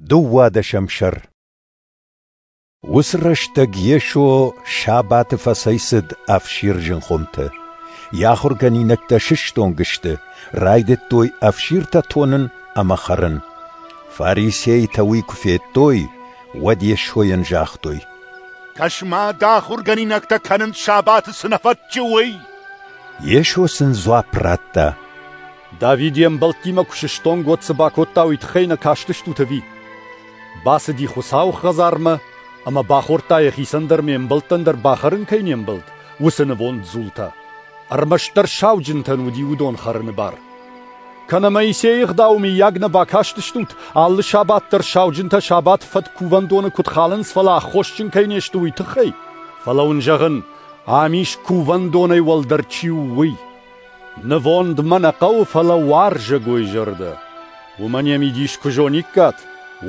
Дыууадӕсӕм сӕр. Уыцы рӕстӕг Йесо сабаты фӕцӕйцыд ӕфсирджын хуымты. Йӕ ахуыргӕнинӕгтӕ сыстонг сты, райдыдтой ӕфсиртӕ тонын ӕмӕ хӕрын. Фарисейтӕ уый куы федтой, уӕд Йесойӕн загътой: Кӕс-ма, дӕ ахуыргӕнинӕгтӕ кӕнынц, сабаты цы нӕ фӕтчы, уый. Йесо сын дзуапп радта: Давид йе мбӕлттимӕ куы сыстонг, уӕд цы бакодта, уый тыххӕй нӕ кастыстут ӕви? Бацыди Хуыцауы хӕдзармӕ ӕмӕ бахордта, йӕхицӕн дӕр ме мбӕлттӕн дӕр бахӕрын кӕй не мбӕлд, уыцы нывонд дзултӕ. Ӕрмӕстдӕр сауджынтӕн уыди уыдон хӕрыны бар. Кӕнӕ Моисейы ӕгъдауы мыййаг нӕ бакастыстут, алы сабат дӕр сауджынтӕ сабаты фӕтк кувӕндоны куыд халынц, фӕлӕ аххосджын кӕй не сты, уый тыххӕй? Фӕлӕ уын зӕгъын, ам ис кувӕндонӕй уӕлдӕр чи у, уый. Нывонд мӕ нӕ хъӕуы, фӕлӕ уарзӕгой зӕрдӕ. Уымӕн йӕ мидис куы зониккат,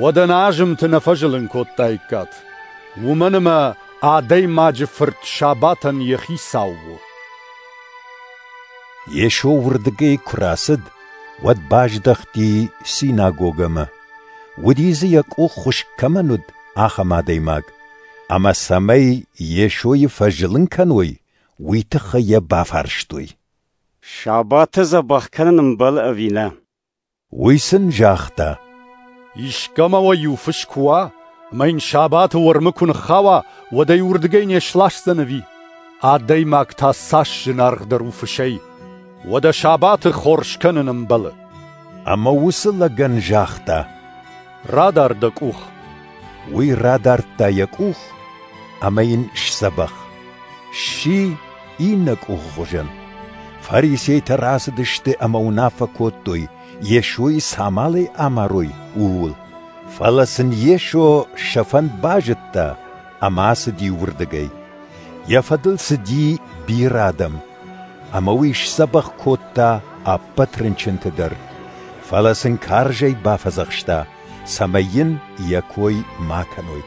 уӕд ӕнӕ азымты нӕ фӕзылын кодтаиккат. Уымӕн ӕмӕ Адӕймаджы Фырт сабатӕн йӕ хицау у. Йесо уырдыгӕй куы рацыд, уӕд баздӕхти синагогӕмӕ. Уыди дзы, йӕ къух хуыскъ кӕмӕн уыд, ахӕм адӕймаг. Ӕмӕ цӕмӕй Йесойы фӕзылын кӕной, уый тыххӕй йӕ бафарстой: Сабаты дзӕбӕх кӕнын ӕмбӕлы ӕви нӕ? Уый сын загъта: Искӕмӕ уӕ иу фыс куы уа, ӕмӕ йын сабаты уӕрмы куы ныххауа, уӕд ӕй уырдыгӕй не сласдзӕн ӕви? Адӕймаг та цас зынаргъдӕр у фысӕй! Уӕдӕ сабаты хорз кӕнын ӕмбӕлы. Ӕмӕ уыцы лӕгӕн загъта: Радар дӕ къух. Уый радардта йӕ къух, ӕмӕ йын сдзӕбӕх. Сси иннӕ къухы хуызӕн. Фарисейтӕ рацыдысты ӕмӕ уынаффӕ кодтой, Йесойы цы амалӕй амарой, ууыл. Фӕлӕ сын Йесо сӕ фӕнд базыдта ӕмӕ ацыди уырдыгӕй. Йӕ фӕдыл цыди бирӕ адӕм, ӕмӕ уый сдзӕбӕх кодта ӕппӕт рынчынты дӕр. Фӕлӕ сын карзӕй бафӕдзӕхста, цӕмӕй йын йӕ кой ма кӕной.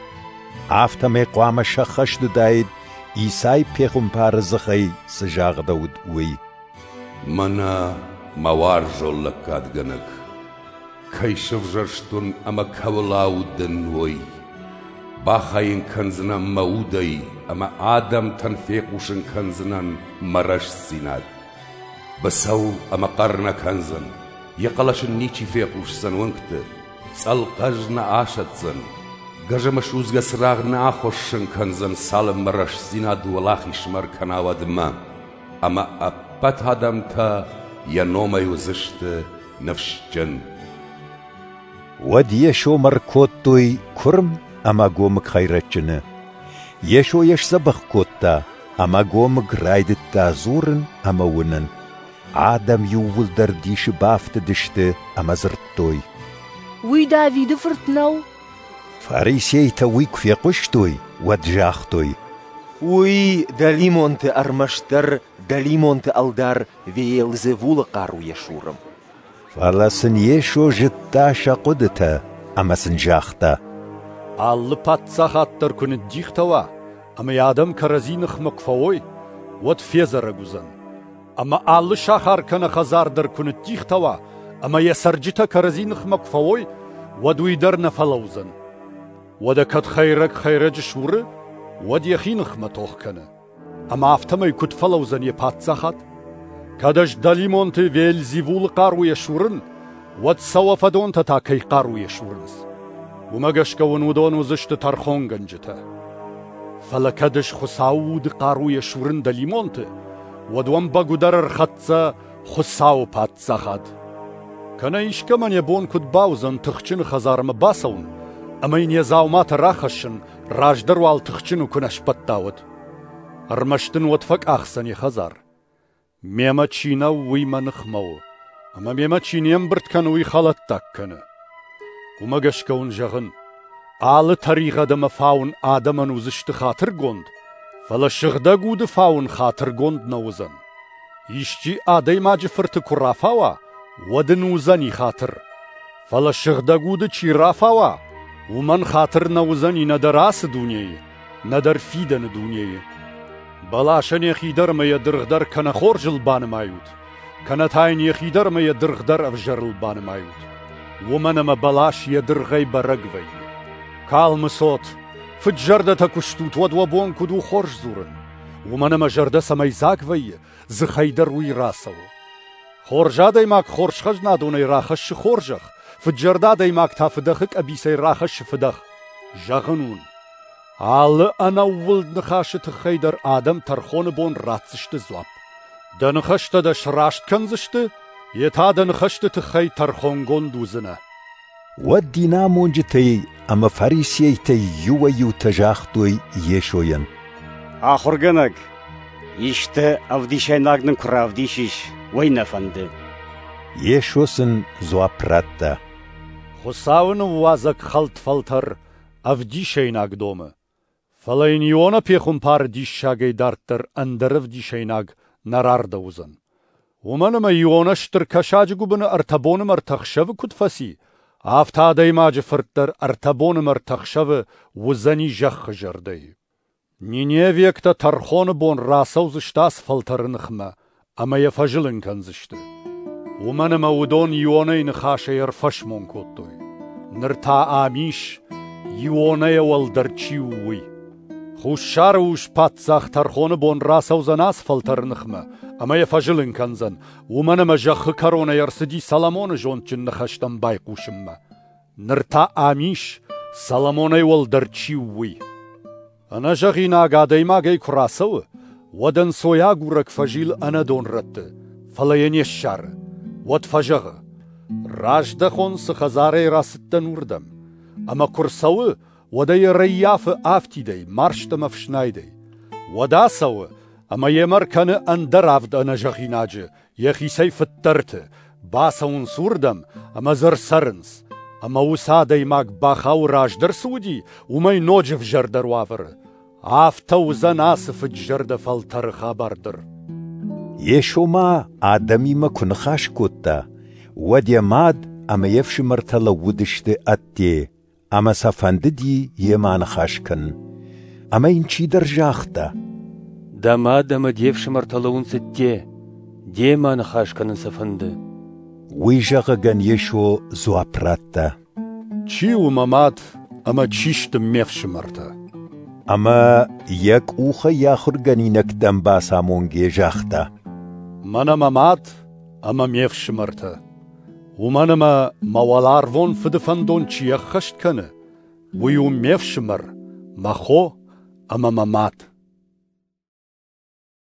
Афтӕмӕй хъуамӕ сӕххӕст уыдаид, Исай пехуымпары дзыхӕй цы загъдӕуыд, уый. Мӕнӕ мӕ уарзон лӕггадгӕнӕг, кӕй сӕвзӕрстон ӕмӕ кӕуыл аудын, уый. Бахайын кӕндзынӕн мӕ удӕй ӕмӕ адӕмтӕн фехъусын кӕндзынӕн мӕ рӕстдзинад. Быцӕу ӕмӕ хъӕр нӕ кӕндзӕн, йӕ хъӕлӕс ын ничи фехъусдзӕн уынгты, цъӕлхъӕз нӕ асӕтдзӕн, гӕзӕмӕ судзгӕ цырагъ нӕ ахуыссын кӕндзӕн, цалынмӕ рӕстдзинад уӕлахизмӕ ӕркӕна, уӕдмӕ. Ӕмӕ ӕппӕт адӕмтӕ йӕ номӕй уыдзысты ныфсджын. Уӕд Йесомӕ ӕркодтой куырм ӕмӕ ӕгомыг хӕйрӕджджыны. Йесо йӕ сдзӕбӕх кодта, ӕмӕ ӕгомыг райдыдта дзурын ӕмӕ уынын. Адӕм иууылдӕр дисы бафтыдысты ӕмӕ дзырдтой: Уый Давиды фырт нӕу? Фарисейтӕ уый куы фехъуыстой, уӕд загътой: Уый дӕлимонты ӕрмӕстдӕр дӕлимонты ӕлдар Веелзевулы хъаруйӕ суры. Фӕлӕ сын Йесо зыдта сӕ хъуыдытӕ ӕмӕ сын загъта: Алы паддзахад дӕр куы ныддихтӕ уа ӕмӕ йӕ адӕм кӕрӕдзи ныхмӕ куы фӕуой, уӕд федзӕрӕг уыдзӕн. Ӕмӕ алы сахар кӕнӕ хӕдзар дӕр куы ныддихтӕ уа ӕмӕ йӕ цӕрджытӕ кӕрӕдзи ныхмӕ куы фӕуой, уӕд уый дӕр нӕ фӕлӕудзӕн. Уӕдӕ кӕд хӕйрӕг хӕйрӕджы суры, уӕд йӕхи ныхмӕ тох кӕны. Ӕмӕ афтӕмӕй куыд фӕлӕудзӕн йӕ паддзахад? Кӕд ӕз дӕлимонты Веельзевулы хъаруйӕ сурын, уӕд сӕ уӕ фӕдонтӕ та кӕй хъаруйӕ сурынц? Уымӕ гӕсгӕ уын уыдон уыдзысты тӕрхонгӕнджытӕ. Фӕлӕ кӕд ӕз Хуыцауы уды хъаруйӕ сурын дӕлимонты, уӕд уӕм бӕгуыдӕр ӕрхӕццӕ Хуыцауы паддзахад. Кӕнӕ искӕмӕн йӕ бон куыд бауыдзӕн тыхджыны хӕдзармӕ бацӕуын ӕмӕ йын йӕ дзауматӕ рахӕссын, раздӕр уал тыхджыны куы нӕ сбӕтта, уӕд? Ӕрмӕст ын уӕд фӕкъахдзӕн йӕ хӕдзар. Мемӕ чи нӕу, уый мӕ ныхмӕ у, ӕмӕ мемӕ чи не мбырд кӕны, уый хӕлӕттаг кӕны. Уымӕ гӕсгӕ уын зӕгъын, алы тӕригъӕд ӕмӕ фауын адӕмӕн уыдзысты хатыргонд, фӕлӕ сыгъдӕг уды фауын хатыргонд нӕ уыдзӕн. Исчи адӕймаджы фырты куы рафауа, уӕд ын уыдзӕни хатыр. Фӕлӕ сыгъдӕг уды чи рафауа, уымӕн хатыр нӕ уыдзӕни нӕдӕр ацы дунейы, нӕдӕр фидӕны дунейы. Бӕласӕн йӕхи дӕр ӕмӕ йӕ дыргъ дӕр кӕнӕ хорзыл банымайут, кӕнӕ та йын йӕхи дӕр ӕмӕ йӕ дыргъ дӕр ӕвзӕрыл банымайут. Уымӕн ӕмӕ бӕлас йӕ дыргъӕй бӕрӕг вӕййы. Калмы цот, фыд-зӕрдӕтӕ куы стут, уӕд уӕ бон куыд у хорз дзурын? Уымӕн ӕмӕ зӕрдӕ цӕмӕй дзаг вӕййы, дзыхӕй дӕр уый рацӕуы. Хорз адӕймаг хорз хӕзнадонӕй рахӕссы хорзӕх, фыд-зӕрдӕ адӕймаг та фыдӕхы къӕбицӕй рахӕссы фыдӕх. Зӕгъын уын, алы ӕнӕууылд ныхасы тыххӕй дӕр адӕм тӕрхоны бон ратдзысты дзуапп. Дӕ ныхӕстӕ дӕ сраст кӕндзысты, йе та дӕ ныхӕсты тыххӕй тӕрхонгонд уыдзынӕ. Уӕд динамонджытӕй ӕмӕ фарисейтӕй иуӕй-иутӕ загътой Йесойӕн: Ахуыргӕнӕг, исты ӕвдисӕйнаг нын куы равдисис, уый нӕ фӕнды. Йесо сын дзуапп радта: Хуыцауы ныууадзӕг хӕлд фӕлтӕр ӕвдисӕйнаг домы. Фӕлӕ йын Иона пехуымпары диссагӕй дарддӕр ӕндӕр ӕвдисӕйнаг нӕ рардӕуыдзӕн. Уымӕн ӕмӕ Иона стыр кӕсаджы гуыбыны 3 боны ӕмӕ 3 ӕхсӕвы куыд фӕци, афтӕ адӕймаджы фырт дӕр 3 боны ӕмӕ 3 ӕхсӕвы уыдзӕни зӕххы зӕрдӕйы. Ниневиӕгтӕ тӕрхоны бон рацӕудзысты ацы фӕлтӕры ныхмӕ ӕмӕ йӕ фӕзылын кӕндзысты. Уымӕн ӕмӕ уыдон Ионӕйы ныхасӕй ӕрфӕсмон кодтой. Ныр та ам ис, Ионӕйӕ уӕлдӕр чи у, уый. Хуссары ус-паддзах тӕрхоны бон рацӕудзӕн ацы фӕлтӕры ныхмӕ ӕмӕ йӕ фӕзылын кӕндзӕн, уымӕн ӕмӕ зӕххы кӕронӕй ӕрцыди Соломоны зондджын ныхӕстӕм байхъусынмӕ. Ныр та ам ис, Соломонӕй уӕлдӕр чи у, уый. Ӕнӕзӕгъинаг адӕймагӕй куы рацӕуы, уӕд ӕнцойагурӕг фӕзилы ӕнӕдон рӕтты, фӕлӕ йӕ не ссары. Уӕд фӕзӕгъы: раздӕхон, цы хӕдзарӕй рацыдтӕн, уырдӕм. Ӕмӕ куы рцӕуы, уӕд ӕй ӕрӕййафы афтидӕй, марзт ӕмӕ ӕфснайдӕй. Уӕд ацӕуы ӕмӕ йемӕ ӕркӕны ӕндӕр 7 ӕнӕзӕгъинаджы, йӕхицӕй фыддӕрты, бацӕуынц уырдӕм ӕмӕ дзы ӕрцӕрынц. Ӕмӕ уыцы адӕймаг бахауы раздӕр цы уыди, уымӕй ноджы ӕвзӕрдӕр уавӕры. Афтӕ уыдзӕн ацы фыд-зӕрдӕ фӕлтӕры хабар дӕр. Йесо ма адӕмимӕ куы ныхас кодта, уӕд йӕ мад ӕмӕ йе фсымӕртӕ лӕууыдысты ӕдде, ӕмӕ сӕ фӕндыди йемӕ аныхас кӕнын. Ӕмӕ йын чидӕр загъта: Дӕ мад ӕмӕ де фсымӕртӕ лӕууынц ӕдде, демӕ аныхас кӕнын сӕ фӕнды. Уый зӕгъӕгӕн Йесо дзуапп радта: Чи у мӕ мад ӕмӕ чи сты ме фсымӕртӕ? Ӕмӕ йӕ къухӕй йӕ ахуыргӕнинӕгтӕм бацамонгӕ загъта: Мӕнӕ мӕ мад ӕмӕ ме фсымӕртӕ. Уымӕн ӕмӕ мӕ уӕларвон фыды фӕндон чи ӕххӕст кӕны, уый у ме фсымӕр, мӕ хо ӕмӕ мӕ мад.